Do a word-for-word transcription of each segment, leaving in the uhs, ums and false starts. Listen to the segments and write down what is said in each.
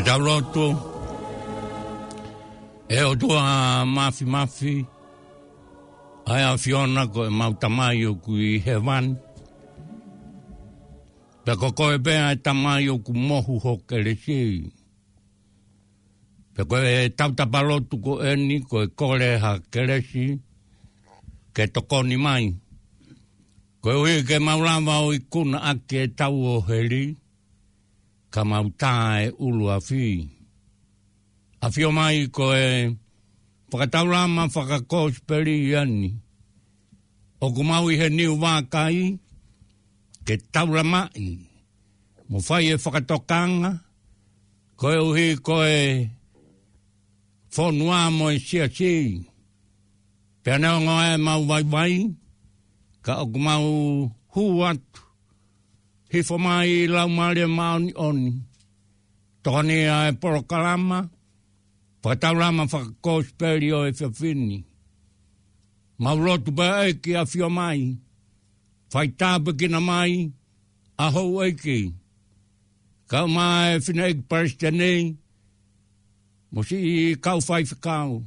Tau lotu. ʻE ʻOtua Māfimafi, ʻa e ʻAfiona ko ʻemau Tamai ʻoku ʻi hēvani. Pea ko koe pē ʻa e Tamai ʻoku mohu ho kelesi. Pea ko e tautapa lotu ko eni ko e kole ha kelesi ke tokoni mai. Koeʻuhi ke mau lava ʻo ikuna ʻaki ʻetau ʻoheli, ka mau tā e ʻuluafi. ʻAfio mai ko e fakataulama fakakosipeli ʻeni. ʻOku mau ʻi he niu vākai, ke taulamaʻi, mo fai e fakatokanga, koeʻuhi ko e fonua mo e siasi. Pea neongo ʻemau vaivai, ka ʻoku mau hū atu, hifo mai Laumālie Māʻoniʻoni. Tokoni ʻa e polokalama fakataulama fakakosipeli ʻo e efiafi ni. Mau lotu pē ʻEiki ʻafio mai, fai tāpuekina mai ʻa houʻeiki, kau mai e fineʻeiki palesiteni, mo siʻi kau faifekau,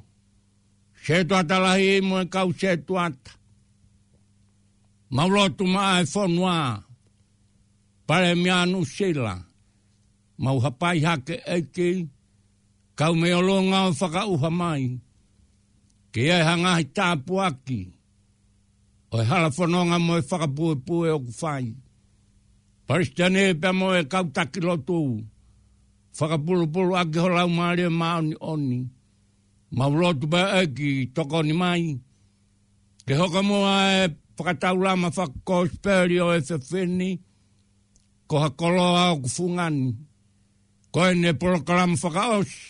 setuata lahi mo e kau setuata. Mau lotu maʻa e fonua, Palēmia Nuʻusila, mau hapai hake ʻEiki, kau mei ʻolunga ʻo fakaʻuha mai, ke ʻi ai ha ngaahi tāpuaki ʻo e hala fononga mo e fakapuepue ʻoku fai. Palesiteni pea mo e kau taki lotu, fakapulupulu ʻaki ho Laumālie Māʻoniʻoni. Mau lotu pē ʻEiki tokoni mai, ke hoko muʻa e fakataulama fakakosipeli ʻo e efiafi ni, ko ha koloa ʻoku fungani. Ko eni e polokalama fakaʻosi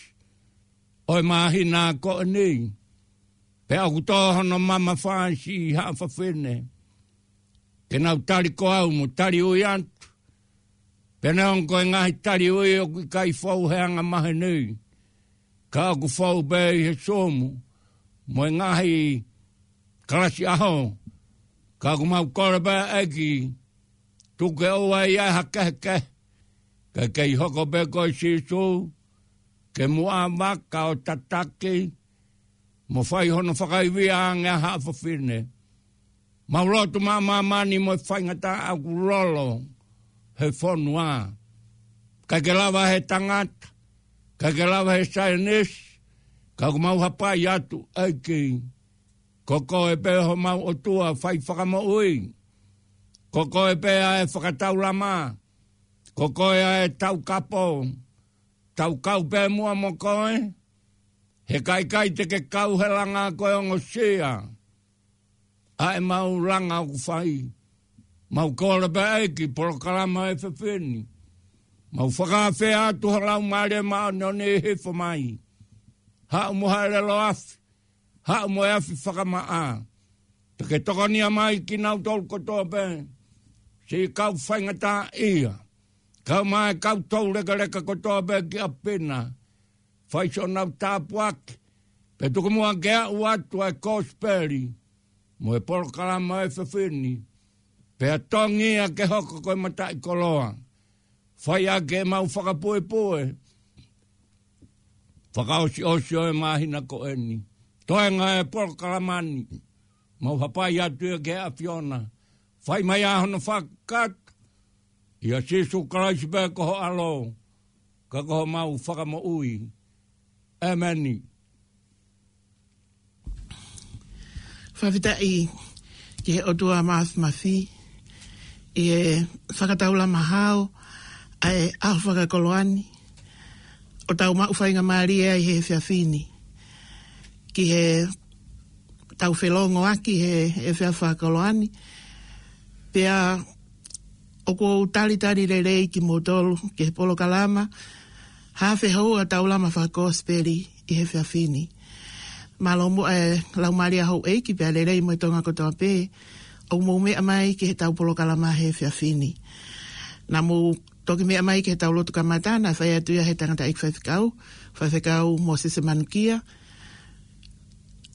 ʻo e māhina ko eni. Pea ʻoku tō hono mamafa ʻa siʻi haʻa fafine. Ke nau tali ko au mo tali ui atu. Pea neongo ko e ngaahi tali ui ʻoku ʻikai fou he anga maheni. Ka ʻoku fou pē ʻi he Zoom, mo e ngaahi kalasi ʻaho. Ka ʻoku mau kole pē ʻEiki, tuku ke ʻoua ʻe ʻi ai ha kehekehe. Ka kei hoko pē ko e Sīsū, ke muʻa vaka ʻo tataki, mo fai hono fakaivia ange ʻa haʻa fafine. Mau lotu maʻa māmani mo e faingataʻa ʻoku lolo he fonua. ʻIkai ke lava he tangata, ʻikai ke lava he saienisi, ka ʻoku mau hapai atu ʻEiki. Ko koe pē homau ʻOtua fai fakamoʻui. Ko koe pē ʻa e fakataulama. Ko koe ʻa e taukapo. Tau kau pē muʻa mo koe. He ʻikai ke te ke kau he langa ko e ongosia ʻa ʻemau langa ʻoku fai. Mau kole pē ʻEiki polokalama ʻo e efiafi ni. Mau fakaafe atu ho Laumālie Māʻoniʻoni hifo mai. Haʻu mo ha ʻelelo afi. Haʻu mo e afi fakamaʻa. Pea ke tokonia mai kinautolu kotoa pē. Siʻi kau faingataʻaʻia. Kau mai kau toulekeleka kotoa pē ki ʻapi na. Fai siʻonau tāpuaki. Pea tuku muʻa ke aʻu atu ʻa e kosipeli. Mo e polokalama ʻo e efiafi ni. Pea tongi ia ke hoko ko e mataʻikoloa. Fai ʻaki ʻemau fakapuepue. Fakaʻosiʻosi ʻo e māhina ko eni. Toenga e polokalama ni. Mau hapai atu ia ki he ʻAfiona. Fai mai ʻa hono fakakakato. ʻIa Sīsū Kalaisi pē ko ho ʻAlo. Ka ko homau Fakamoʻui. ʻEmeni. Fakafetaʻi ki he ʻOtua Māfimafi, ʻi he fakataulama hao ʻa e ʻaho fakakoloa ni, ʻo tau maʻu faingamālie ai he efiafi ni, ki heʻetau felongoaki he efiafi fakakoloa ni, pea ʻoku ou talitali lelei kimoutolu ki he polokalama Haafe Houa Taulama Fakakosipeli ʻi he efiafi ni. Mālō muʻa e laumālie ʻa houʻeiki pea lelei mo e Tonga kotoa pē ʻoku mou meʻa mai ki heʻetau polokalama he efiafi ni. Naʻa mou toki meʻa mai ki heʻetau lotu kamata naʻe fai atu ia ʻe he tangataʻeiki faifekau, Faifekau Mōsese Manukia.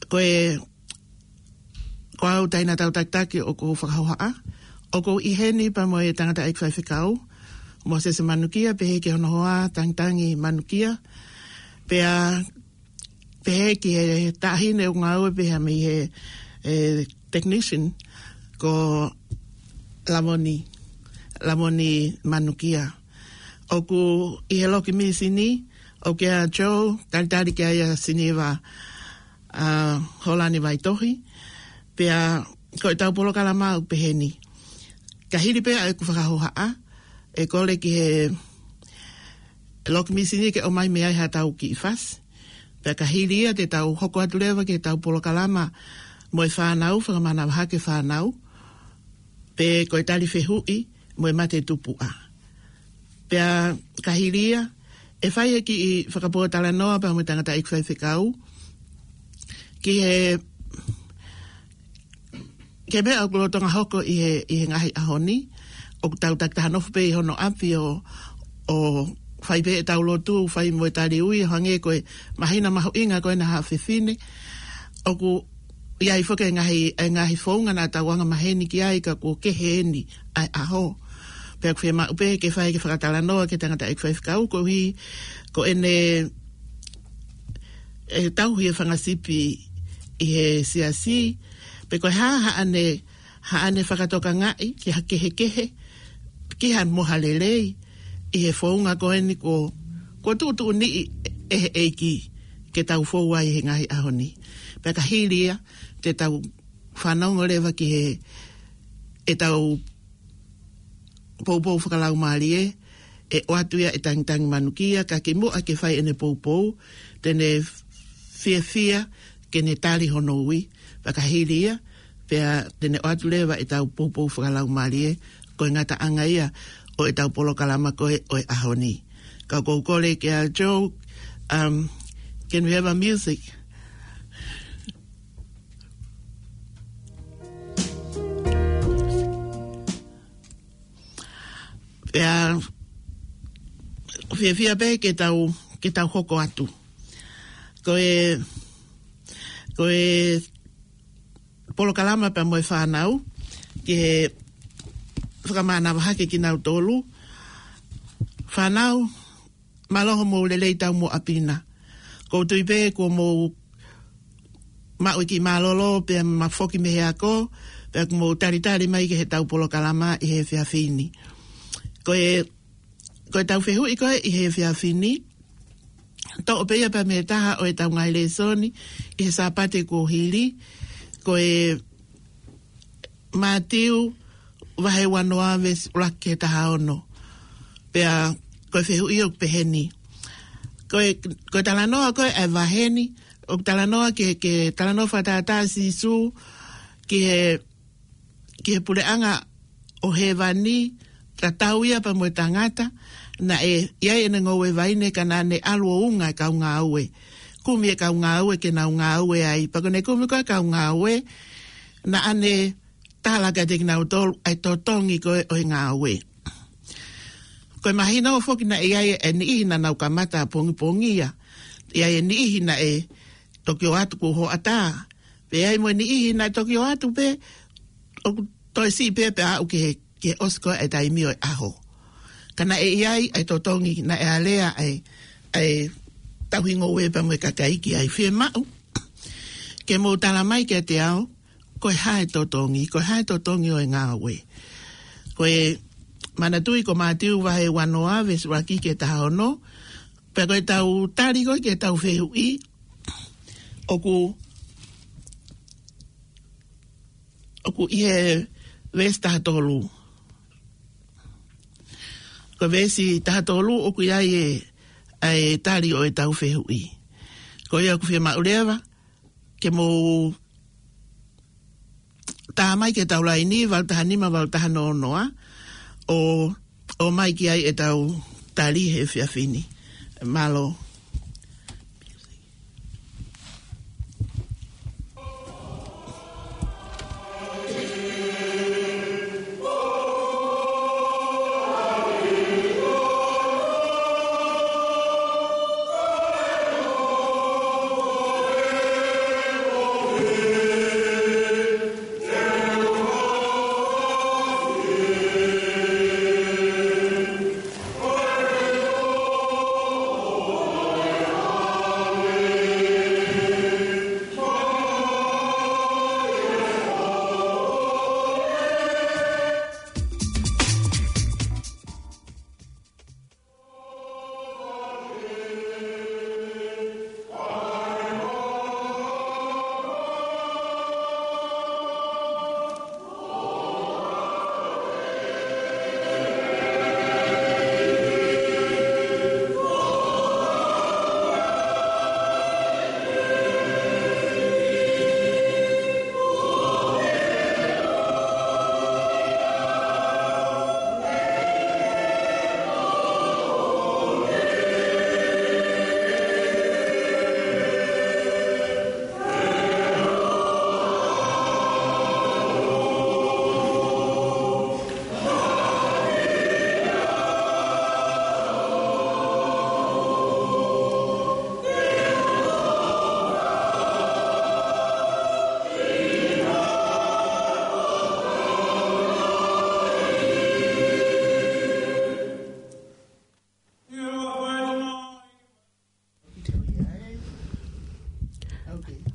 Ko e, ko au Taina Tautakitaki ʻoku ou fakahohaʻa. ʻOku ou ʻi heni pea mo e tangataʻeiki faifekau, Mōsese Manukia, pehē ki hono hoa Tangitangi Manukia, pea pehē ki he taʻahine ʻoku ngāue pē ia mei he, e, technician ko Lamoni, Lamoni Manukia. ʻOku ʻi he loki mīsini, ʻoku ʻia Joe, talitali ki ai ʻa Siniva, a, Holani Vaitohi, pea ko ʻetau polokalama ʻoku peheni. Ka hili pē ʻa ʻeku fakahohaʻa, ʻe kole ki he loki mīsini ke ʻomai mei ai haʻatau kiʻi fasi. Pea ka hili ia te tau hoko atu leva ki heʻetau polokalama mo e fānau, fakamanavahake fānau, pe ko e tali fehuʻi mo e mate tupuʻa. Pea ka hili ia, ʻe fai e kiʻi fakapōtalanoa pea mo e tangataʻeiki faifekau, ki he, ki he meʻa ʻoku lolotonga hoko ʻi he, ʻi he ngaahi ʻaho ni, ʻoku tau takitaha nofo pē ʻi hono ʻapi ʻo, ʻo fai pē ʻetau lotu, fai mo e tali ui, ʻo hangē ko e māhina mahuʻinga ko ena ha fefine, ʻoku ʻi ai foki e ngaahi, e ngaahi founga naʻa tau anga maheni ki ai ka kuo kehe eni ʻa e ʻaho. Pea ʻoku fiemaʻu pē ke fai e kiʻi fakatalanoa ki he tangataʻeiki faifekau koeʻuhi ko ʻene, e tauhi e fanga sipi ʻi he siasi, pe ko e hā haʻane, haʻane fakatokangaʻi ki ha kehekehe, ki ha mo ha lelei, ʻi he founga ko eni kuo, kuo tuʻutuʻuniʻi ʻe he ʻEiki ke tau fou ai he ngaahi ʻaho ni. Pea ka hili ia, te tau fanongo leva ki he, ʻetau poupou fakalaumālie, ʻe ʻoatu ia ʻe Tangitangi Manukia, ka kimuʻa ke fai ʻene poupou, te ne fiefia ke ne tali hono ui, pea ka hili ia, pea te ne ʻoatu leva ʻetau poupou fakalaumālie, ko e ngataʻanga ia ʻo ʻetau polokalama ko ē ʻo e ʻaho ni. Ka ʻoku ou kole ki a Joe, um, can we have a music? Pea, fiefia pē ke tau, ke tau hoko atu. Ko e, ko e polokalama pea mo e fānau, ke fakamanavahake kinautolu. Fānau, mālō hoʻomou lelei taumuʻa pina. ʻOku ou tui pē kuo mou maʻu e kiʻi mālōlō pea mou foki mei he ako, pea kuo mou talitali mai ki heʻetau polokalama ʻi he efiafi ni. Ko e, ko ʻetau fehuʻi ko ē ʻi he efiafi ni, toʻo pē ia pea mei he taha ʻo ʻetau ngaahi lēsoni ʻi he Sāpate kuo hili, ko e Mātiu vahe uanoa veesi ʻuluaki ki he taha ono. Pea ko e fehuʻi ʻoku peheni. Ko e, ko e talanoa ko ē ʻa e vahe ni, ʻoku talanoa ki he, ki he talanoa fakatātā ʻa Sīsū ki he, ki he puleʻanga ʻo hēvani, tatau ia pea mo e tangata naʻe ʻi ai ʻene ngoue vaine ka naʻa ne ʻalu ʻo unga e kau ngāue. Kumi e kau ngāue ke nau ngāue ai. Pea ko ʻene kumi ko ē e kau ngāue, naʻa ne tala kiate kinautolu ʻa e totongi ko ē ʻo e ngāue. Ko e mahino foki naʻe ʻi ai e niʻihi naʻa nau kamata pongipongia. ʻI ai e niʻihi naʻe toki ō atu kuo hoʻatā. Pea ʻi ai mo e niʻihi naʻe toki ō atu pē ʻoku toe siʻi pē pea aʻu ki he, ki he ʻosi ko ē e taimi ʻo e ʻaho. Ka naʻe ʻi ai ʻa e totongi, naʻe alea ʻa e, ʻa e tauhi ngoue pea mo e kakai ki ai. Fiemaʻu ke mou tala mai kiate au, ko e hā e totongi, ko e hā e totongi ʻo e ngāue. Ko e manatuʻi ko Mātiu vahe uanoa, veesi ʻuluaki ki he taha ono, pea ko ʻetau tali ko ē ki heʻetau fehuʻi, ʻoku, ʻoku ʻi he veesi taha tolu. Ko e veesi taha tolu ʻoku ʻi ai e, ʻa e tali ʻo ʻetau fehuʻi. Ko ia ʻoku fiemaʻu leva ke mou tā mai ki heʻetau laini, valu taha nima, valu taha noa noa, ʻo, ʻomai ki ai ʻetau tali he efiafi ni. Mālō.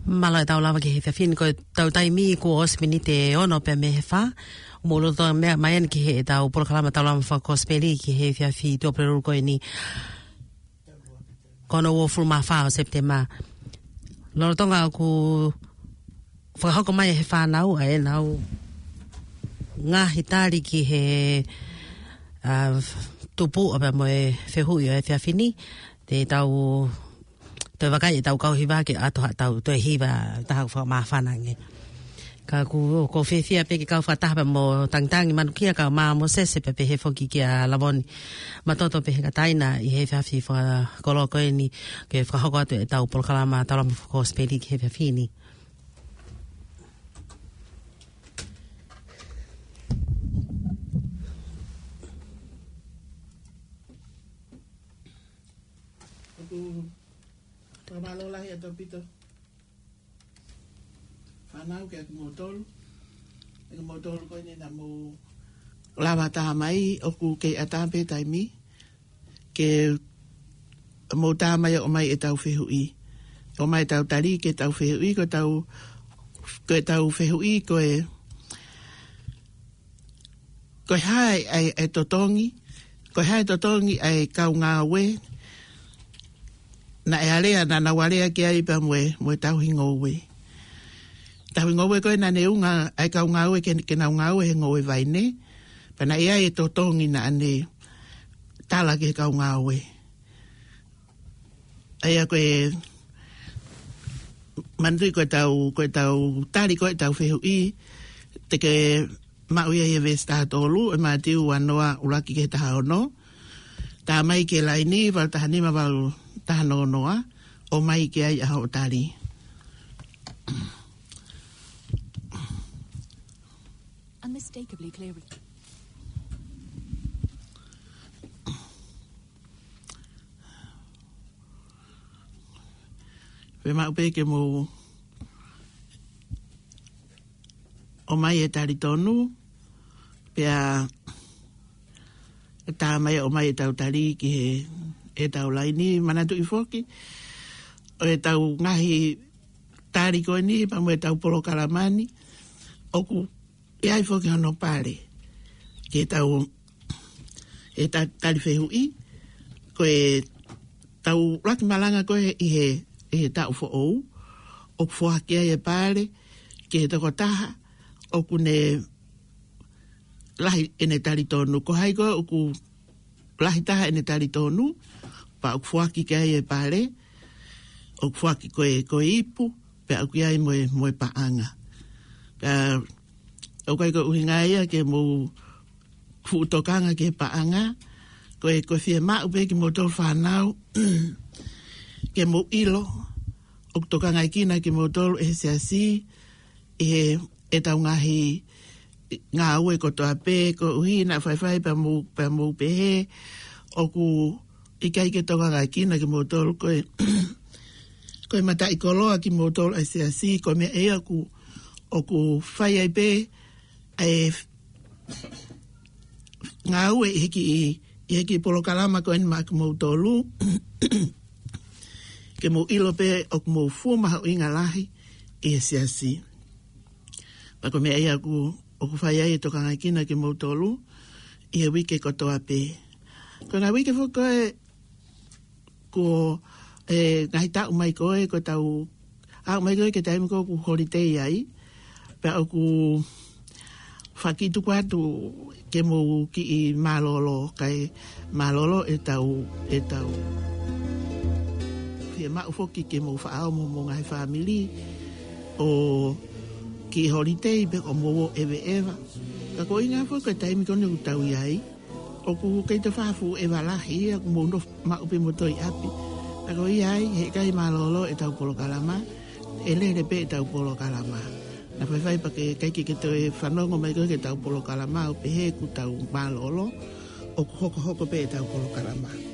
Mālō e tau lava ki he efiafi ni, ko e tau taimi kuo ʻosi miniti ʻe ono pē mei he fā. Mou loto meʻa mai eni ki heʻetau polokalama Taulama Fakakosipeli ki he efiafi Tuʻapulelulu ko eni, ko hono uofulu mā fā ʻo Sepitema. Lolotonga ʻoku fakahoko mai ʻe he fānau ʻa ʻenau ngaahi tali ki he, ā, tupuʻa pea mo e fehuʻi ʻo e efiafi ni, te tau toe vakai ʻetau kau hiva ke ʻoatu haʻatau toe hiva, taha ʻoku fakamāfana ange. Ka ʻoku, ʻoku ou fiefia pē ke kau fakataha pē mo Tangitangi Manukia, kau mai mo Sese pea pehē foki kia Lavoni Matoto pē he kataina ʻi he efiafi fakakoloa ko eni ke fakahoko atu ʻetau polokalama Taulama Fakakosipeli ki he efiafi ni. ʻOku fakamālō lahi ʻaupito fānau kiate kimoutolu. Kiate kimoutolu ko eni naʻa mou lava tā mai, ʻoku kei ʻatā pē taimi ke mou tā mai ʻo ʻomai ʻetau fehuʻi. ʻOmai ʻetau tali ki heʻetau fehuʻi, ko ʻetau, ko ʻetau fehuʻi ko e, ko e hā e, e, e totongi, ko e hā e totongi ʻa e kau ngāue naʻe alea, naʻa nau alea ki ai pea mo e, mo e tauhi ngoue. Tauhi ngoue ko ē naʻa ne ʻunga ai e kau ngāue ke, ke nau ngāue he ngoue vaine, pea naʻe ʻi ai e totongi naʻa ne tala ki he kau ngāue. ʻA ia ko e, manatuʻi ko ʻetau, ko ʻetau tali ko ē ʻetau fehuʻi, te ke maʻu ia ʻi he veesi taha tolu ʻo e Mātiu ua noa ʻuluaki ki he taha ono. Tā mai ki he laini valu taha nima, valu taha noa noa, ʻomai ki ai ʻa hoʻo tali. Unmistakably clear. Fiemaʻu pē ke mou ʻomai e tali tonu, pea tā mai ʻo ʻomai ʻetau tali ki he, ʻetau laini. Manatuʻi foki, ʻo ʻetau ngaahi tali ko eni pea mo ʻetau polokalama ni, ʻoku ʻi ai foki hono pale ki heʻetau, ʻetau tali fehuʻi. Ko ʻetau ʻuluaki malanga ko ē ʻi he, ʻi he taʻu foʻou, ʻoku foaki ai e pale ki he tokotaha ʻoku ne lahi ʻene tali tonu. Ko hai ko ē ʻoku lahi taha ʻene tali tonu, pea ʻoku foaki ki ai e pale, ʻoku foaki ko e, ko e ipu, pea ʻoku ʻi ai mo e, mo e paʻanga. Ka ʻoku ʻikai ko e ʻuhinga ia ke mou fuʻu tokanga ki he paʻanga, ko e, ko e fiemaʻu pē kimoutolu fānau ke mou ʻilo ʻoku tokangaekina kimoutolu ʻe he siasi ʻi he, ʻetau ngaahi ngāue kotoa pē, koeʻuhi naʻa faifai pea mou, pea mou pehē ʻoku ʻikai ke tokangaekina kimoutolu, ko e, ko e mataʻikoloa kimoutolu ʻa e siasi, ko e meʻa ia ʻoku, ʻoku fai ai pē ʻa e ngāue ʻi he kiʻi, ʻi he kiʻi polokalama ko eni maʻa kimoutolu, ke mou ʻilo pē ʻoku mou fuʻu mahuʻinga lahi ʻi he siasi. Pea ko e meʻa ia ʻoku, ʻoku fai ai e tokangaekina kimoutolu ʻi he uike kotoa pē. Ko e ngaahi uike foki ko ē, ko e ngaahi taʻu mai ko ē, ko ʻetau aʻu mai ko ē ki he taimi ko ē ʻoku holiday ai, pea ʻoku fakatuku atu ke mou kiʻi mālōlō, kae mālōlō ʻetau, ʻetau fiemaʻu foki ke mou faʻa ō mo homou ngaahi fāmili ʻo kiʻi holiday pe ko hoʻomou ō ʻeveʻeva. Ka ko e ʻuhinga foki ko e taimi ko eni ʻoku tau ʻi ai, ʻoku kei toe fakafuʻu ʻeva lahi ia, ʻoku mou nofo maʻu pē moutolu ʻi ʻapi. Ka ko ia ai, heʻikai mālōlō ʻetau polokalama, ʻe lele pē ʻetau polokalama. Naʻa faifai pea ke ʻikai ke ke toe fanongo mai ko ē ki heʻetau polokalama ʻo pehē kuo tau mālōlō, ʻoku hokohoko pē ʻetau polokalama.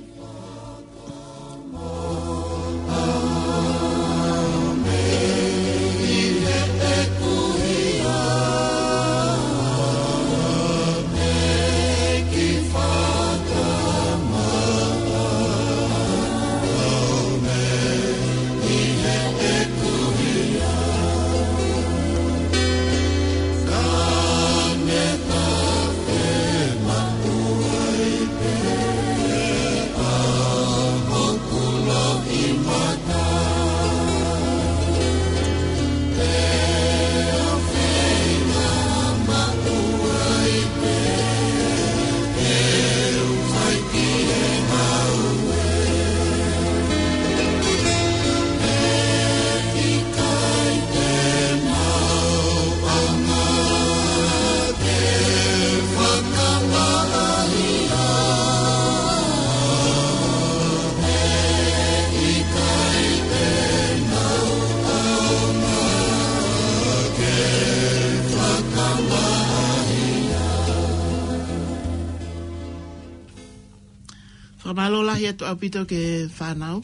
Fakamālō lahi atu ʻaupito ki he fānau,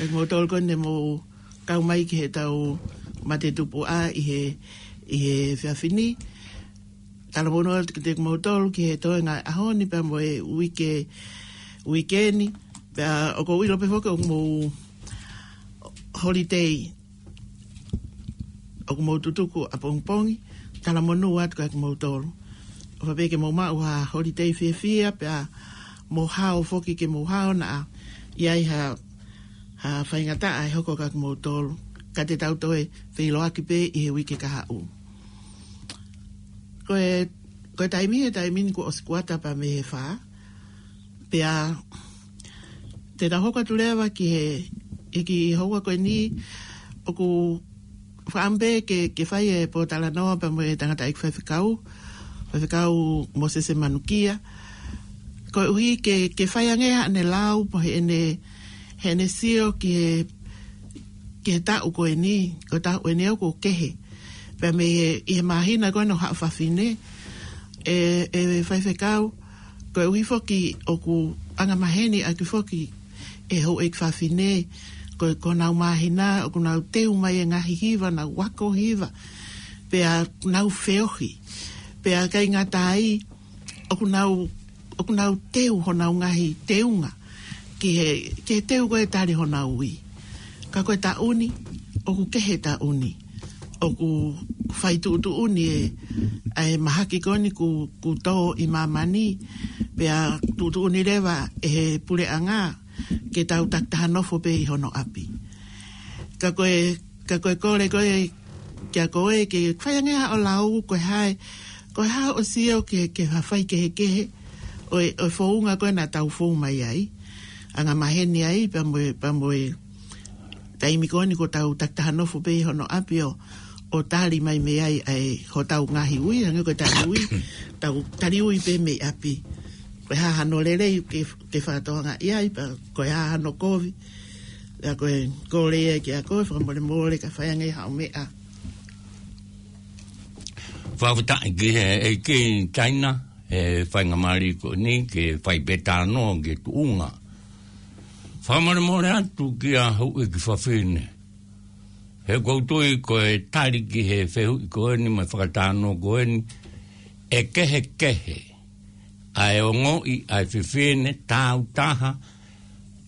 ʻa kimoutolu ko eni ne mou kau mai ki heʻetau mate tupuʻa ʻi he, ʻi he efiafi ni. Talamonū atu kiate kimoutolu ki he toenga ʻaho ni pea mo e uike, uike ni. Pea ʻoku ou ʻilo pē foki ʻoku mou holiday, ʻoku mou tutuku ʻapongipongi. Talamonū atu kiate kimoutolu. ʻOfa pē ke mou maʻu ha holiday fiefia, pea mou hao foki ke mou hao naʻa ʻi ai ha, ha faingataʻa ʻe hoko kiate kimoutolu. Ka te tau toe feʻiloaki pē ʻi he uike kahaʻu. Ko e, ko e taimi, he taimi ni kuo ʻosi kuata pea mei he fā. Pea te tau hoko atu leva ki he, ʻi he kiʻi houa ko eni, ʻoku fakaʻamu pē ke, ke fai e pōtalanoa pea mo e tangataʻeiki faifekau, faifekau Mōsese Manukia. Koeʻuhi ke, ke fai ange haʻane lau, pe ko heʻene, heʻene sio ki he, ki he taʻu ko eni, ko e taʻu eni ʻoku kehe. Pea mei he, ʻi he māhina ko ena ʻo Haʻa Fafine, ʻe, ʻe faifekau, koeʻuhi foki ʻoku angamaheni ʻaki foki ʻe he houʻeiki fafine, ko, ko honau māhina, ʻoku nau teu mai e ngaahi hiva, nau ako hiva, pea nau feohi, pea ʻikai ngata ai, ʻoku nau, ʻoku nau teu honau ngaahi teunga ki he, ki he teu ko e tali honau ui. Ka ko e taʻu ni, ʻoku kehe taʻu ni. ʻOku fai tuʻutuʻuni e, ʻa e mahaki ko eni kuo, kuo tō ʻi māmani, pea tuʻutuʻuni leva ʻe he puleʻanga ke tau takitaha nofo pē ʻi hono ʻapi. Ka ko e, ka ko e kole ko ē kiate koe ke fai ange haʻo lau, ko e hā e, ko e hā hoʻo sio ki he, ki he fai kehekehe ʻo e, ʻo e founga ko ē naʻa tau fou mai ai. Angamaheni ai, pea mo e, pea mo e taimi ko eni kuo tau takitaha nofo pē ʻi hono ʻapi ʻo, ʻo tali mai mei ai ʻa e hotau ngaahi ui, hangē ko e tali ui, tau tali ui pē mei ʻapi. Ko e hā hano lelei ke, ke fakatokangaʻi ai, pea ko e hā hano kovi, pea ko e kole ia kiate koe, fakamolemole ka fai ange haʻo meʻa. Fakafetaʻi ki he ʻEiki Taina, he faingamālie ko eni, ke fai pē talanoa ki he tuʻunga. Fakamolemole atu kia houʻeiki fafine. He ʻoku ou tui ko e tali ki he fehuʻi ko eni mo e fakatalanoa ko eni, ʻe kehekehe ʻa e ongoʻi ʻa e fefine tāutaha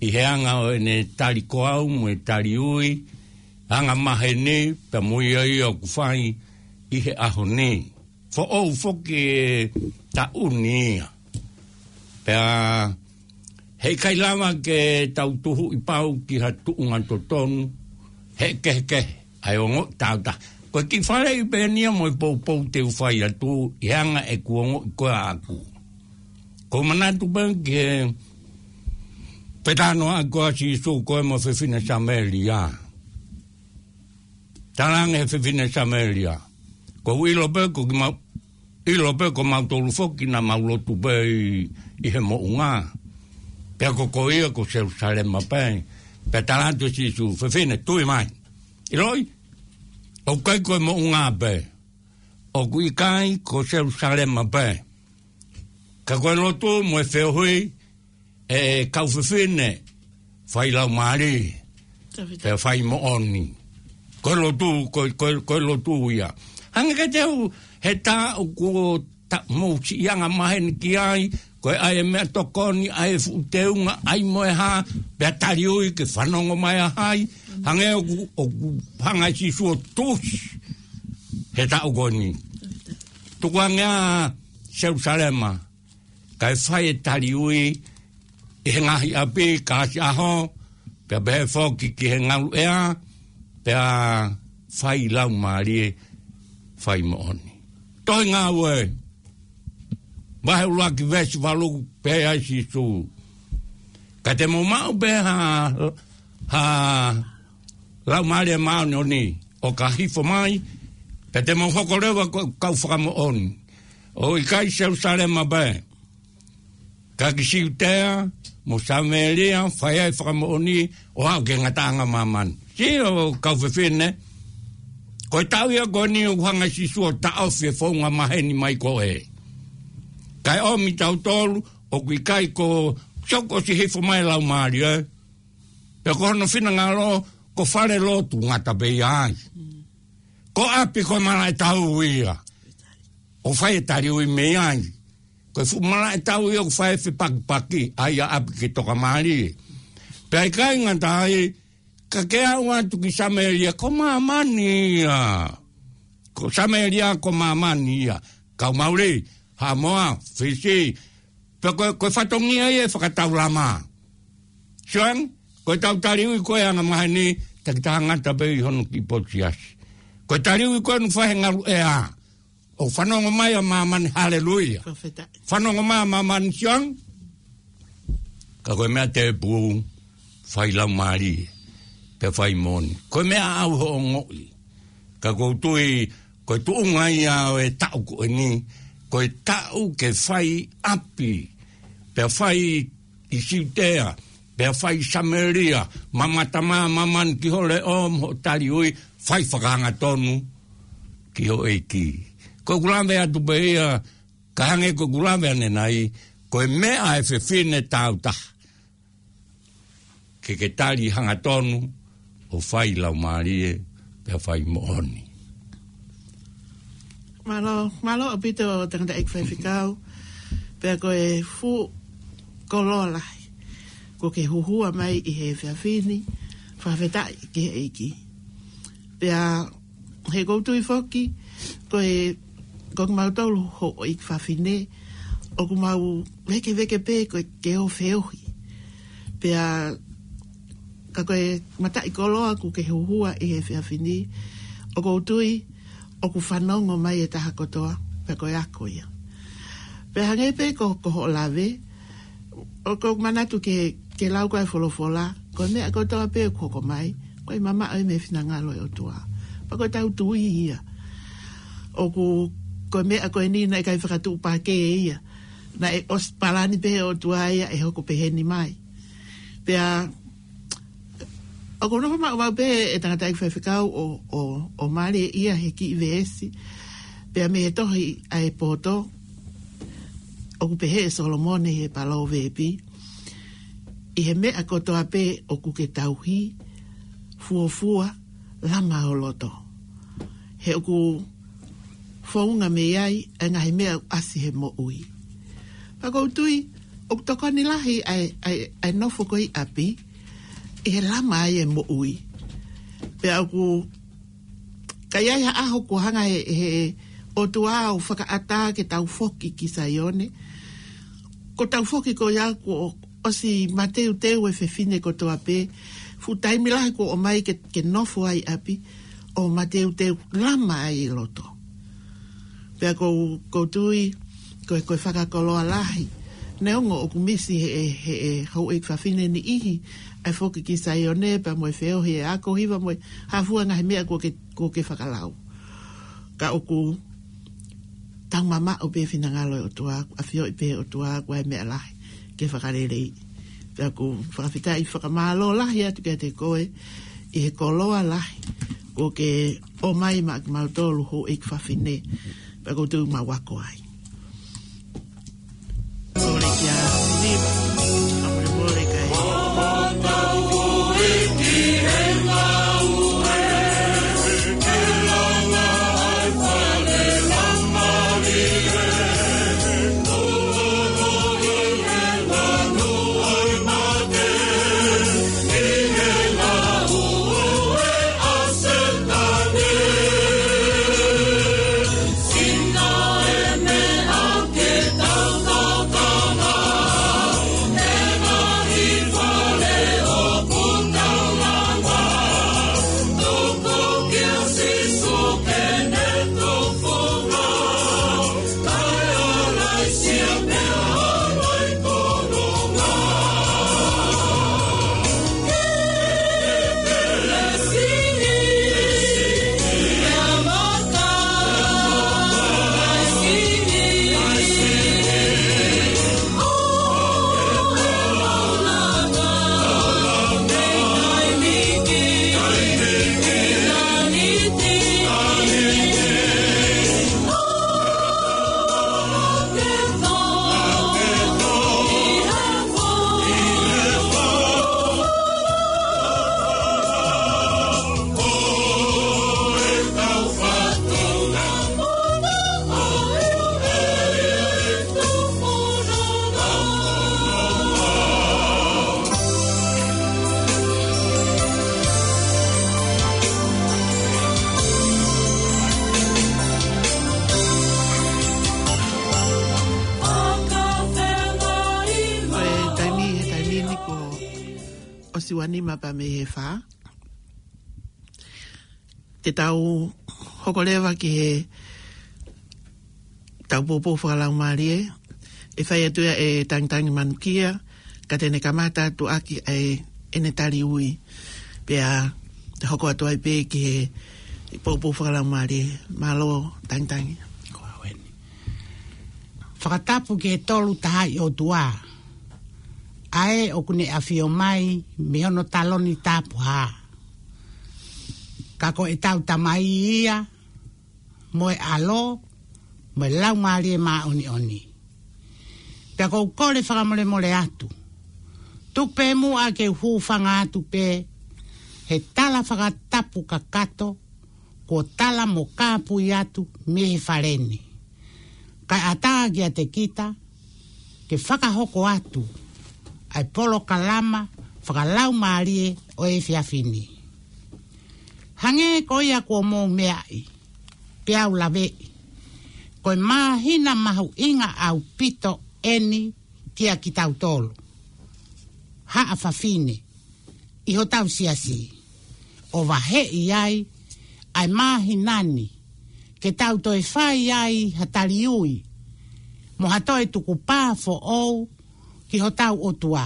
ʻi he anga ʻo ʻene tali koau mo e tali ui, angamaheni pea mo ia ia ʻoku fai ʻi he ʻaho ni. Foʻou foki e taʻu ni ia. Pea heʻikai lava ke tau tuhuʻi pau ki ha tuʻunga totonu, he kehekehe ʻa e ongoʻi tāutaha. Ko e kiʻi faleʻi pē eni ia mo e poupou te u fai atu ʻi he anga ʻeku ongoʻi ko ē ʻaʻaku. Ko e manatu pē ki he fetalanoaʻaki ʻa Sīsū ko ē mo e fefine Samēlia. Talaange he fefine Samēlia, ʻoku ou ʻilo pē ko kimau-, ʻilo pē ko mautolu foki naʻa mau lotu pē ʻi, ʻi he moʻunga. Pea ko koe ia ko Selūsalema pē. Pea tala atu ʻe Sīsū, fefine, tui mai. ʻIloʻi, ʻoku ʻikai ko e moʻunga pē. ʻOku ʻikai ko Selūsalema pē. Ka ko e lotu mo e feohi ʻa e kau fefine, fai laumālie, Tafita. Pea fai moʻoni. Ko e lotu, ko, ko, ko e lotu ia. Hangē ka te u, he taʻu kuo ta-, mou siʻi angamaheni ki ai, ko e ʻai e meʻatokoni, ʻai e fuʻu teunga, ʻai mo e hā, pea tali ui ke fanongo mai ʻa hai, hangē ʻoku, ʻoku hanga ʻe Sīsū ʻo tusi he taʻu ko eni. Tukuange ā Selūsalema, kae fai e tali ui ʻi he ngaahi ʻapi, kāsiʻaho, pea pehē foki ki he ngaluʻea, pea fai laumālie, fai moʻoni. Tohi Ngāue, vahe ʻuluaki veesi valu, pehē ai Sīsū, ka te mou maʻu pē ha, ha Laumālie Māʻoniʻoni ʻo ka hifo mai, pea te mou hoko leva ko e kau fakamoʻoni. ʻOku ʻikai Selūsalema pē, ka ki Siutea mo Samēlia, fai ai fakamoʻoni ʻo aʻu ki he ngataʻanga māmani. Sio kau fefine, ko e taʻu ia ko eni ʻoku hanga ʻe Sīsū ʻo taʻofi e founga maheni mai ko ē. Kae ʻomi tautolu, ʻoku ʻikai ko Sio, kuo ʻosi hifo mai e Laumālie. Pea ko hono finangalo, ko falelotu ngata pē ia ai. Ko ʻapi ko e malaʻe tau ia. ʻO fai e taliui mei ai. Ko e fuʻu malaʻe tau ia ʻoku fai e fepakipaki, ʻa ia ʻapi ke tokamālie. Pea ʻikai ngata ai, ka ke aʻu atu ki Samēlia, ko māmani ia. Ko Samēlia, ko māmani ia. Kau Mauli, Haʻamoa, Fisi. Pea ko, ko e fatongia ia e fakataulama. Sio ange, ko e tau taliui ko ē anga maheni, takitaha ngata pē ʻi hono kiʻi potu siasi. Ko e taliui ko ē naʻe fai he ngalu ʻea. ʻO fanongo mai ʻa māmani, haleluia. Fakafetaʻi. Fanongo mai ʻa māmani, sio ange. Ka ko e meʻa tēpū, fai Laumālie, pea fai moʻoni. Ko e meʻa ʻoku ou ongoʻi. Ka ʻoku ou tui, ko e tuʻunga ia ʻo e taʻu ko eni, ko e taʻu ke fai ʻapi, pea fai ʻi Siutea, pea fai Samēlia, mamata mai ʻa māmani ki ho leʻo mo hoʻo taliui, fai fakaangatonu ki ho ʻEiki. Ko ʻeku lave atu pē ia, ka hangē ko ʻeku lave ʻanenai, ko e meʻa ʻa e fefine tāutaha. Ke ke tali hangatonu, ʻo fai Laumālie, pea fai moʻoni. Mālō, mālō ʻaupito tangataʻeiki faifekau, pea ko e fuʻu koloa lahi. Kuo ke huhua mai ʻi he efiafi ni, fakafetaʻi ki he ʻEiki. Pea he ʻoku ou tui foki, ko e, ko kimautolu houʻeiki fafine, ʻoku mau vēkeveke pē ko e ke ō feohi. Pea ka ko e mataʻikoloa kuo ke huhua ʻi he efiafi ni, ʻoku ou tui, ʻoku fanongo mai e taha kotoa, pea ko e ako ia. Pea hangē pē ko, ko hoʻo lave, ʻoku ou manatu ke, ke lau ko e folofola, ko e meʻa kotoa pē ʻoku hoko mai, ko e mamaʻo ia mei he finangalo ʻo e ʻOtua. Pea ko e tau tui ia. ʻOku, ko e meʻa ko eni naʻe ʻikai fakatuʻupakē ia. Naʻe ʻosi palani pē ʻe he ʻOtua ia ʻe hoko peheni mai. Pea, ʻoku ou nofo maʻu pē e tangataʻeiki faifekau ʻo, ʻo, ʻo mālieʻia he kiʻi veesi. Pea mei he tohi ʻa e poto, ʻoku pehē ʻe Solomone he Palōvepi, ʻi he meʻa kotoa pē ʻoku ke tauhi, fuofua, lama ho loto. He ʻoku founga mei ai ʻa e ngaahi meʻa ʻoku ʻasi he moʻui. Pea ʻoku ou tui, ʻoku tokoni lahi ʻa e, ʻa e, ʻa e nofo ko ē ʻi ʻapi, ʻi he lama ai e moʻui. Pea ʻoku, ka ʻi ai ha ʻaho kuo hanga he, he ʻOtua ʻo fakaʻatā ke tau foki ki Saione. Ko e tau foki ko ia kuo ʻosi mateuteu e fefine kotoa pē. Fuʻu taimi lahi kuo ʻomai ke, ke nofo ai ʻi ʻapi, ʻo mateuteu lama ai e loto. Pea ʻoku ou, ʻoku ou tui, ko e, ko e fakakoloa lahi. Neongo ʻoku misi he, he, he houʻeiki fafine niʻihi, ʻa e foki ki Saione, pea mo e feohi e ako hiva mo e hā fua ngaahi meʻa kuo ke, kuo ke fakalau. Ka ʻoku tau mamaʻo pē finangalo ʻo e ʻOtua, ʻafioʻi pē ʻOtua, ko e meʻa lahi ke fakaleleiʻi. Pea ʻoku fakafetaʻi fakamālō lahi atu kiate koe, ʻi he koloa lahi, kuo ke ʻomai maʻa kimautolu houʻeiki fafine, pea ʻoku tau mau ako ai. Kole kia Siliva, a mole mole kai. Nima pea mei he fā. Te tau hoko leva ki he tau poupou fakalaumālie, ʻe fai atu ia ʻe Tangitangi Manukia, ka te ne kamata atu ʻaki ʻa ʻene tali ui. Pea te hoko atu ai pē ki he poupou fakalaumālie. Mālō, Tangitangi. Ko au eni. Fakatapu ki he Tolu Tahaʻi ʻOtua, ʻa ē ʻoku ne ʻafio mai mei hono taloni tapuhā. Ka ko ʻetau Tamai ia, mo e ʻAlo, mo e Laumālie Māʻoniʻoni. Pea ʻoku ou kole fakamolemole atu, tuku pē muʻa ke u hūfanga atu pē he tala fakatapu kakato kuo tala mo kāpui atu mei he fale ni, kae ʻatā kiate kita ke fakahoko atu ʻa e polokalama fakalaumālie ʻo e efiafi ni. Hangē ko ia kuo mou meaʻi, peá u laveʻi, ko e māhina mahuʻinga ʻaupito eni kia kitautolu haʻa fafine ʻi hotau siasi, ʻo vaheʻi ai ʻa e māhina ni ke tau toe fai ai ha tali ui mo ha toe tukupā foʻou ki hotau ʻOtua,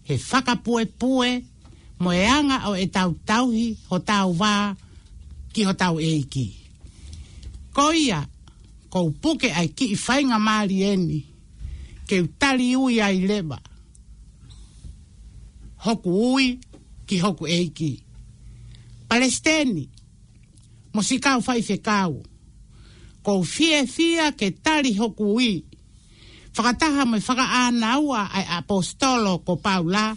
he fakapuepue mo e anga ʻo ʻetau tauhi hotau vā ki hotau ʻEiki. Ko ia, ʻoku ou puke ʻa e kiʻi faingamālie ni ke u tali ui ai leva hoku ui ki hoku ʻEiki. Palesiteni, mo siʻi kau faifekau, ʻoku ou fiefia ke tali hoku ui, fakataha mo e fakaʻānaua ʻa e ʻaposetolo ko Paula,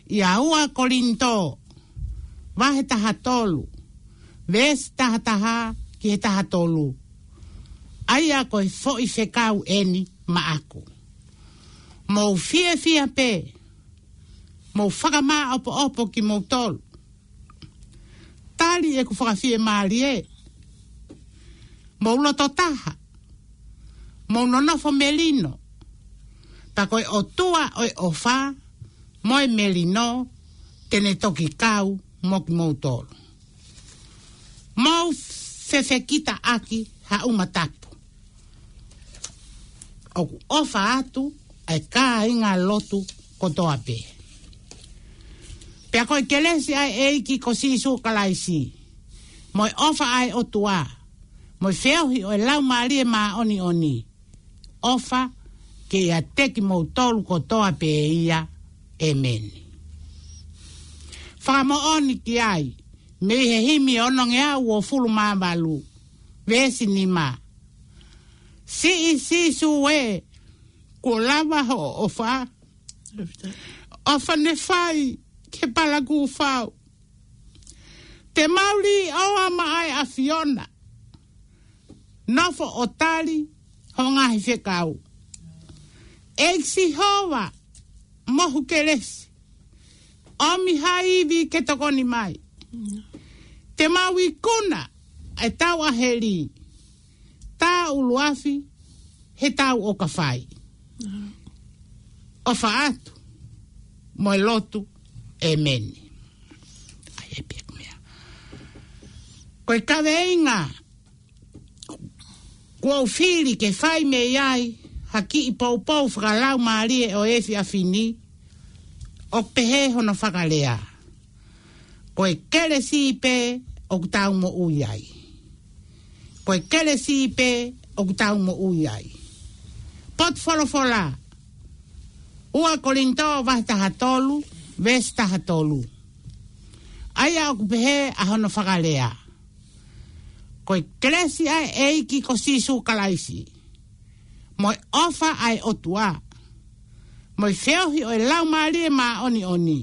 ʻia ua Kolinitō, vahe taha tolu, veesi taha taha ki he taha tolu. ʻA ia ko e foʻi fekau eni maʻaku. Mou fiefia pē, mou fakamāʻopoʻopo kimoutolu. Tali ʻeku fakafiemālie. Mou loto taha. Mou nonofo melino. Pea ko e ʻOtua ʻo e ʻofa mo e melino te ne toki kau mo kimoutolu. Mou fefekitaʻaki ha ʻuma tapu. ʻOku ʻofa atu ʻa e kāinga lotu kotoa pē. Pea ko e kelesi ʻa e ʻEiki ko Sīsū Kalaisi, mo e ʻofa ʻa e ʻOtua, mo e feohi ʻo e Laumālie Māʻoniʻoni, ʻofa ke ʻiate kimoutolu kotoa pē ia. ʻEmeni. Fakamoʻoni ki ai mei he himi onongeau uofulu mā valu, veesi nima. Siʻi Sīsū ē, kuo lava hoʻo ʻofa. ʻOfa ne fai ki he palakūfau. Te mau lī ʻoa maʻa e ʻAfiona. Nofo ʻo tali hoʻo ngaahi fekau. ʻEiki Sihova, mohu kelesi, ʻomi ha ivi ke tokoni mai. Te mau ikuna ʻetau ʻaheli, tā ʻuluafi he tau ʻoka fai. ʻOfa atu mo e lotu. ʻEmeni. ʻAi e pia kumea. Ko e kaveinga kuo u fili ke fai mei ai ha kiʻi poupou fakalaumālie ʻo e efiafi ni, ʻoku pehē hono fakalea: Ko e kelesi pē ʻoku tau moʻui ai. Ko e kelesi pē ʻoku tau moʻui ai. Potu folofola, ua Kolinitō vahe taha tolu, veesi taha tolu. ʻA ia ʻoku pehē ʻa hono fakalea: Ko e kelesi ʻa e ʻEiki ko Sīsū Kalaisi, mo e ʻofa ʻa e ʻOtua, mo e feohi ʻo e Laumālie Māʻoniʻoni,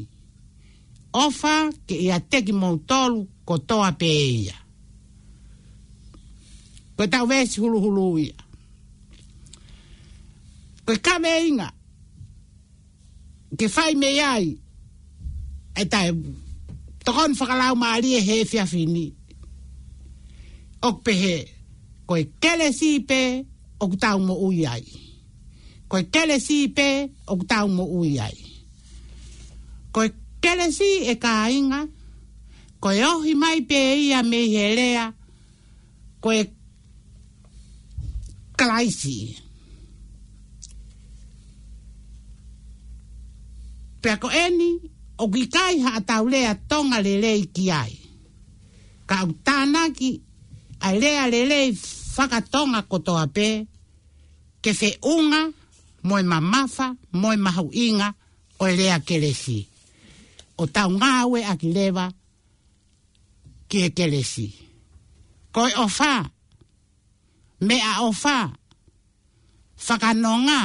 ʻofa ke ʻiate kimoutolu kotoa pē ia. Ko ʻetau veesi huluhulu ia. Ko e kaveinga ke fai mei ai ʻetau tokoni fakalaumālie he efiafi ni, ʻoku pehē: Ko e kelesi pē ʻoku tau moʻui ai. Ko e kelesi pē ʻoku tau moʻui ai. Ko e Kelesi, ʻe kāinga, ko e ohi mai pē ia mei he lea ko e Kalaisi. Pea ko eni, ʻoku ʻikai haʻatau lea Tonga lelei ki ai. Ka ʻoku tānaki ʻa e lea lelei fakatonga kotoa pē, ke feʻunga mo e mamafa mo e mahuʻinga ʻo e lea kelesi. ʻO tau ngāueʻaki leva ki he kelesi. Ko e ʻofa, meʻaʻofa, fakanonga,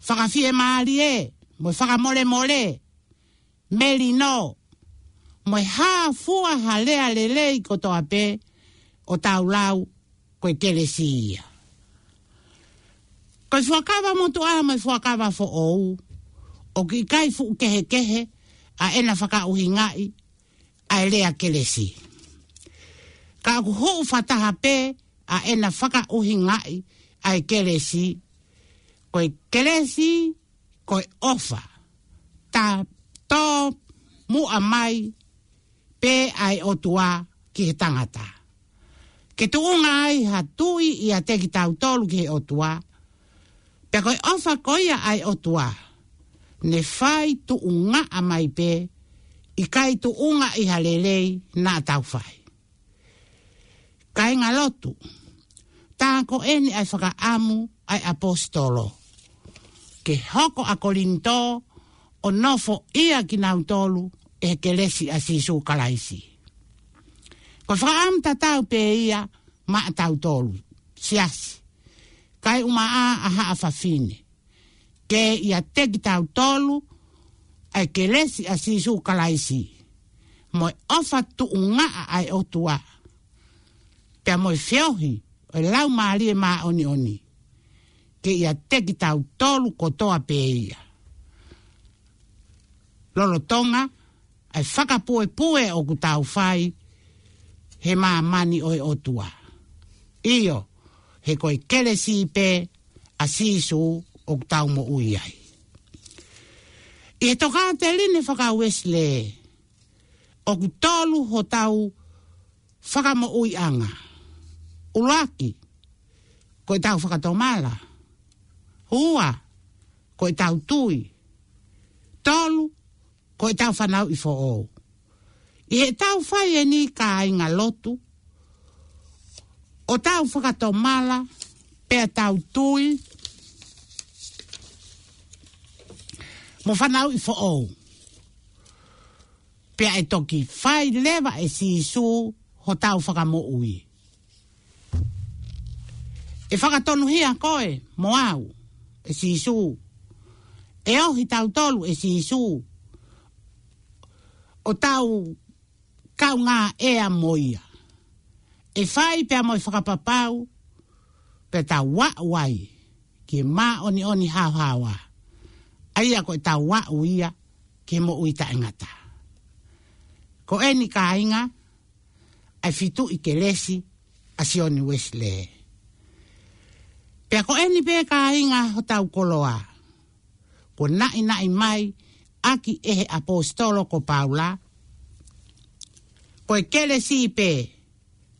fakafiemālie, mo e fakamolemole, melino, mo e hā fua ha lea lelei kotoa pē ʻo tau lau, ko e kelesi ia. Ko e Fuakava Motuʻa mo e Fuakava Foʻou, ʻoku ʻikai fuʻu kehekehe ʻa ʻena fakaʻuhingaʻi ʻa e lea kelesi. Ka ʻoku hū fakataha pē ʻa ʻena fakaʻuhingaʻi ʻa e kelesi, ko e kelesi, ko e ʻofa, tā tō muʻa mai pē ʻa e ʻOtua ki he tangata, ke tuʻunga ai ha tui ʻiate kitautolu ki he ʻOtua. Pea ko e ʻofa ko ia ʻa e ʻOtua, ne fai tuʻungaʻa mai pē, ʻikai tuʻunga ʻi ha lelei naʻa tau fai. Kāinga lotu, tā ko eni ʻa e fakaʻamu ʻa e ʻapositolo, ke hoko ʻa Kolinitō ʻo nofoʻia kinautolu ʻe he kelesi ʻa Sīsū Kalaisi. Ko e fakaʻamu tatau pē ia maʻatautolu, siasi, kaeʻumaʻā ʻa haʻa fafine, ke ʻiate kitautolu ʻa e kelesi ʻa Sīsū Kalaisi, mo e ʻofa tuʻungaʻa ʻa e ʻOtua, pea mo e feohi ʻo e Laumālie Māʻoniʻoni, ke ʻiate kitautolu kotoa pē ia, lolotonga ʻa e fakapuepue ʻoku tau fai he māmani ʻo e ʻOtua. ʻIo, he ko e kelesi pē ʻa Sīsū ʻoku tau moʻui ai. ʻI he tokāteline faka-Uēsilē, ʻoku tolu hotau fakamoʻuiʻanga. ʻUluaki, ko ʻetau fakatomala. Ua, ko ʻetau tui. Tolu, ko ʻetau fanauʻi foʻou. ʻI heʻetau fai eni, kāinga lotu, ʻo tau fakatomala, pea tau tui, mo fanauʻi foʻou, pea ʻe toki fai leva ʻe Sīsū hotau fakamoʻui. ʻE fakatonuhia koe mo au ʻe Sīsū. ʻE ohi tautolu ʻe Sīsū ʻo tau kaungā ʻea mo ia. ʻE fai pea mo e fakapapau, pea tau aʻu ai ki he māʻoniʻoni haohaoa. ʻA ia ko ʻetau aʻu ia ki he moʻui taʻengata. Ko eni, kāinga, ʻa e fituʻi kelesi ʻa Sione Uēsilē. Pea ko eni pē, kāinga, hotau koloa, kuo naʻinaʻi mai ʻaki ʻe he ʻapositolo ko Paula, ko e kelesi pē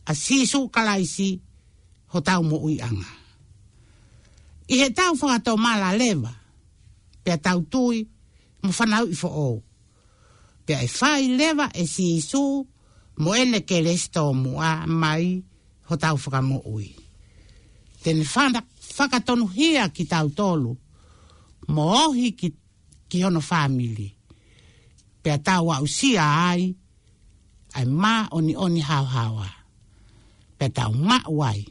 ʻa Sīsū Kalaisi hotau moʻuiʻanga. ʻI heʻetau fakatomala leva, pea tau tui mo fanauʻi foʻou, pea ʻe fai leva ʻe Sīsū mo ʻene kelesi tōmuʻa mai hotau fakamoʻui. Te ne fana-, fakatonuhia kitautolu mo ohi ki, ki hono fāmili, pea tau aʻusia ai ʻa e māʻoniʻoni haohaoa, pea tau maʻu ai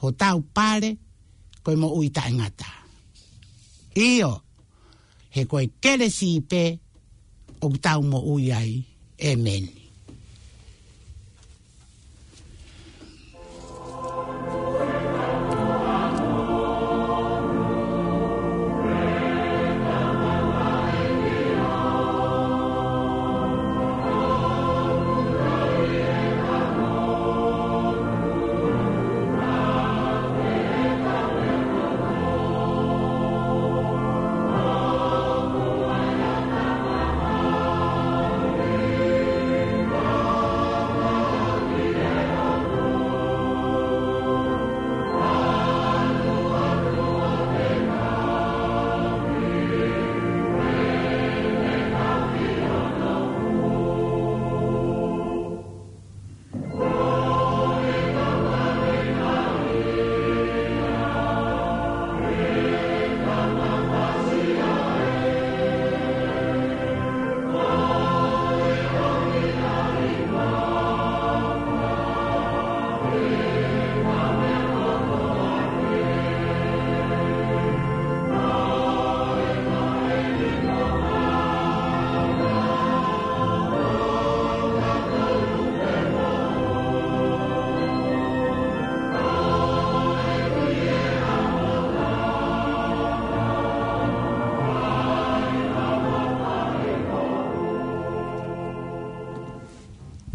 hotau pale ko e moʻui taʻengata. ʻIo, he ko e kelesi pē ʻoku tau moʻui ai. ʻEmeni.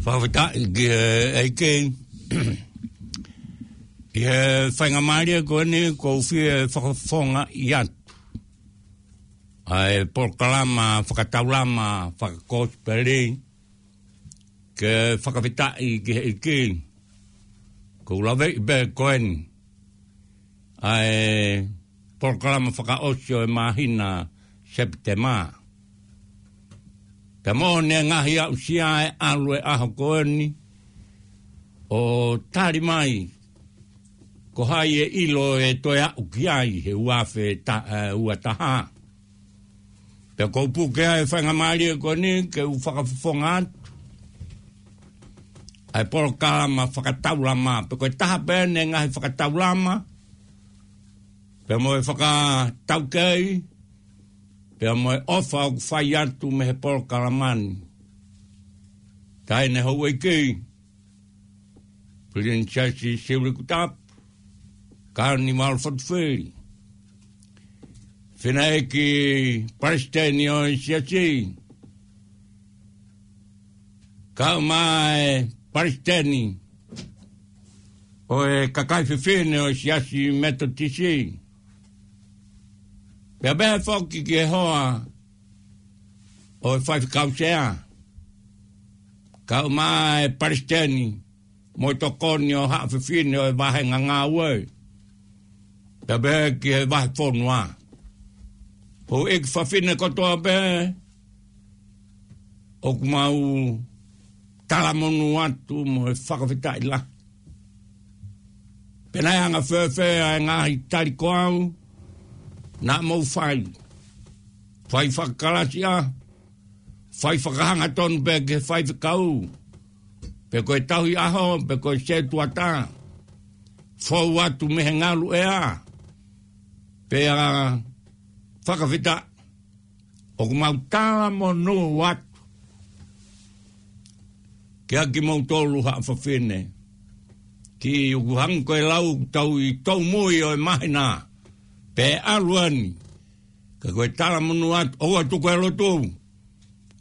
Fakafetaʻi ki he ʻEiki. ʻI he faingamālie ko eni ʻoku ou fie fakafofongaʻi atu ʻa e polokalama fakataulama fakakosipeli ke fakafetaʻi ki he ʻEiki. ʻOku ou laveʻi pē ko eni ʻa e polokalama fakaʻosi ʻo e māhina Sepitema. Pea mo ʻene ngaahi aʻusia ʻe ʻalu e ʻaho ko eni ʻo tali mai ko hai ʻe ʻilo ʻe toe aʻu ki ai he ua afe ta-, ʻe, ua taha. Pea ʻoku ou puke ʻa e faingamālie ko eni ke u fakafofonga atu ʻa e polokalama fakataulama. Pea ko e taha pē ʻene ngaahi fakataulama, pea mo e fakataukei, pea mo e ʻofa ʻoku fai atu mei he polokalama ni. Taʻahine Houʻeiki Pilinisesi Siaosi Leikutapu, Kānivale Fatufili, Fineʻeiki Palesiteni ʻo e Siasi, kae ʻumaʻā e Palesiteni ʻo e kakai fefine ʻo e Siasi Metotisi. Pea pehē foki ki he hoa ʻo e Faifekau Sea, kae ʻumaʻā e Palesiteni mo e tokoni ʻo e haʻa fefine ʻo e vāhenga ngāue, pea pehē ki he vahefonua. Houʻeiki fafine kotoa pē, ʻoku mau talamonū atu mo e fakafetaʻi lahi. Pea naʻe anga fēfē ʻa e ngaahi tali ko au naʻa mou fai? Fai fakakalasi ʻa, fai fakahangatonu pē ki he faifekau, pe ko e tauhi ʻaho, pe ko e setuata, fou atu mei he ngalu ʻea, pea fakafetaʻi, ʻoku mau talamonū atu kiate kimoutolu haʻa fafine. Kiʻi ʻoku hangē ko e lau ʻoku tau ʻi he tōmui ʻo e māhina pē ʻalu eni. Ka ko e talamonū atu, ʻoua ʻe tuku e lotu,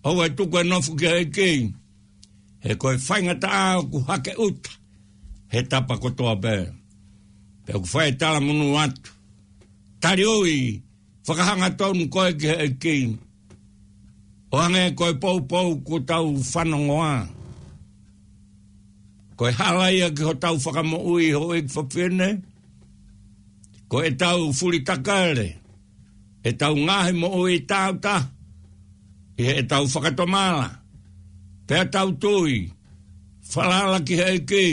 ʻoua ʻe tuku e nofo ki he ʻEiki, he ko e faingataʻa ʻoku hake ʻuta he tapa kotoa pē. Pea ʻoku fai e talamonū atu, taliui, fakahangatonu koe ki he ʻEiki, ʻo hangē ko e poupou kuo tau fanongoa. Ko e hala ia ki hotau fakamoʻui, houʻeiki fafine, ko ʻetau fulitakele ʻetau ngaahi moʻui tāutaha ʻi heʻetau fakatomala, pea tau tui, falala ki he ʻEiki,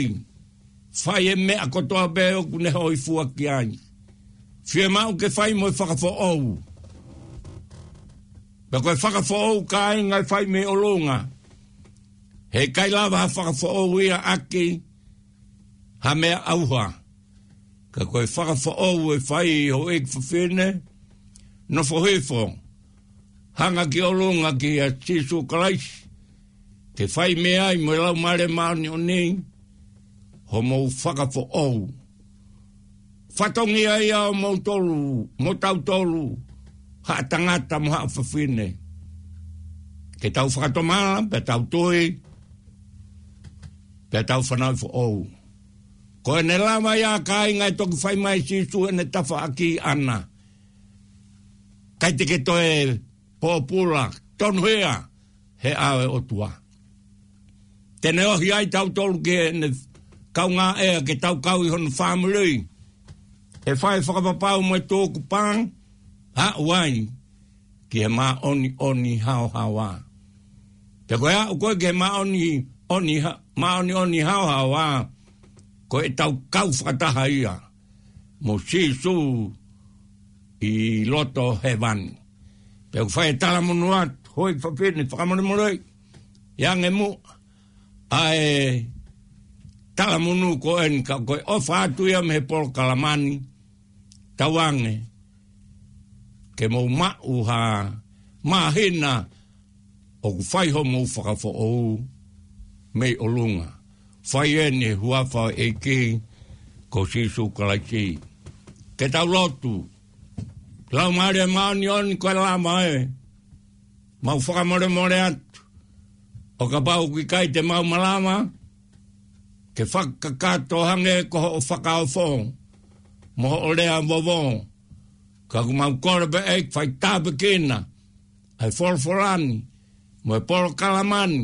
fai e meʻa kotoa pē ʻoku ne hōifua ki ai. Fiemaʻu ke fai mo e fakafoʻou. Pea ko e fakafoʻou, kāinga, ʻe fai mei ʻolunga. Heʻikai lava ha fakafoʻou ia ʻaki ha meʻa ʻauha. Ka ko e fakafoʻou ʻe fai, houʻeiki fafine, nofo hifo, hanga ki ʻolunga kia Sīsū Kalaisi, ke fai mei ai mo e Laumālie Māʻoniʻoni homou fakafoʻou. Fatongia ia ʻo moutolu, mo tautolu, haʻa tangata mo haʻa fafine, ke tau fakatomala, pea tau tui, pea tau fanauʻi foʻou. Ko ʻene lava ia, kāinga, ʻe toki fai mai ʻe Sīsū ʻene tafaʻaki ʻaʻana, ʻikai te ke toe pōpula, tonuhia he ʻao ʻo e ʻOtua. Te ne ohi ai tautolu ki heʻene kaungāʻea, ke tau kau ʻi hono fāmili, ʻe fai e fakapapau mo e tukupā, aʻu ai ki he māʻoniʻoni haohaoa. Pea ko e aʻu ko ē ki he māʻoniʻoni ha-, māʻoniʻoni haohaoa, ko ʻetau kau fakataha ia mo Sīsū ʻi loto hēvani. Pea ʻoku fai e talamonū atu, houʻeiki fafine, fakamolemole, ʻi ange muʻa ʻa e talamonū ko eni, ka ko e ʻofa atu ia mei he polokalama ni, tauange ke mou maʻu ha māhina ʻoku fai homou fakafoʻou mei ʻolunga. Fai eni he huafa ʻo e ʻEiki ko Sīsū Kalaisi. Ke tau lotu. Laumālie Māʻoniʻoni, ko e lava ē, mau fakamolemole atu ʻO kapau ʻoku ʻikai te mau malava ke fakakakato hangē ko hoʻo fakaofo mo hoʻo lea vovō, ka ʻoku mau kole pē ʻEiki fai tāpuekina ʻa e folofola ni mo e polokalama ni,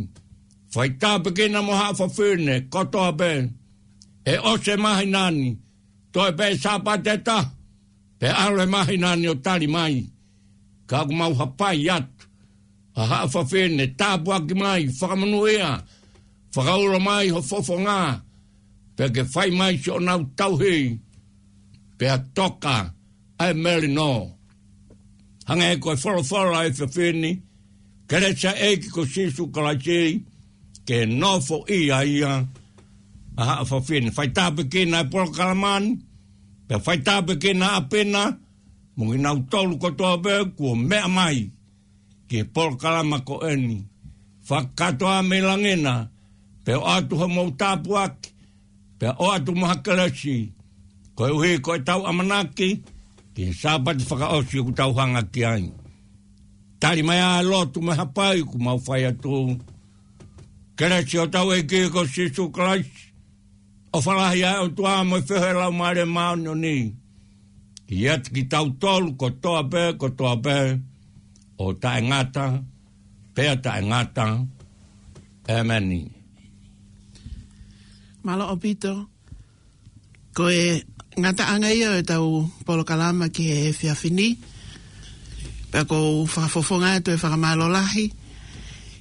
fai tāpuekina mo haʻa fafine kotoa pē. ʻE ʻosi e māhina ni, toe pē Sāpate ʻe taha pea ʻalu e māhina ni ʻo tali mai. Ka ʻoku mau hapai atu ʻa haʻa fafine, tāpuaki mai, fakamonūʻia, fakaulo mai ho fofonga, pea ke fai mai siʻonau tauhi, pea toka ʻa e melino. Hangē ko e folofola ʻa e efiafi ni, kelesi ʻa e ʻEiki ko Sīsū Kalaisi ke nofoʻia ia ʻa haʻa fafine. Fai tāpuekina e polokalama ni, pea fai tāpuekina ʻa ʻApina, mo kinautolu kotoa pē kuo meʻa mai ki he polokalama ko eni. Fakakātoa mei langi na, pea ʻoatu homou tāpuaki, pea ʻoatu mo ha kelesi, koeʻuhi ko ʻetau ʻamanaki ki he Sāpate fakaʻosi ʻoku tau hanga ki ai. Tali mai ʻa e lotu mo e hapai ʻoku mau fai atu. Kelesi ʻa hotau ʻEiki ko Sīsū Kalaisi, ʻofa lahi ʻa e ʻOtua mo e feohi ʻa e Laumālie Māʻoniʻoni, ke ʻiate kitautolu kotoa pē, kotoa pē, ʻo taʻengata pea taʻengata. ʻEmeni. Mālō ʻaupito. Ko e ngataʻanga ia ʻo ʻetau polokalama ki he efiafi ni. Pea ʻoku ou fakafofonga atu e fakamālō lahi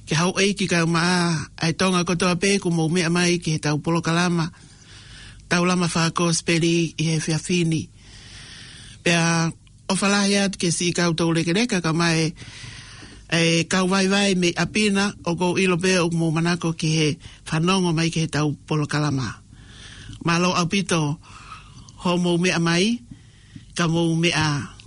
ki he houʻeiki kae ʻumaʻā ʻa e Tonga kotoa pē kuo mou meʻa mai ki heʻetau polokalama Taulama Fakakosipeli ʻi he efiafi ni. Pea ʻofa lahi atu ki he siʻi kau toulekeleka kae ʻumaʻā e kau vaivai mei ʻApina, ʻoku ou ʻilo pē ʻoku mou manako ki he fanongo mai ki heʻetau polokalama. Mālō ʻaupito hoʻomou meʻa mai, ka mou meʻa ā.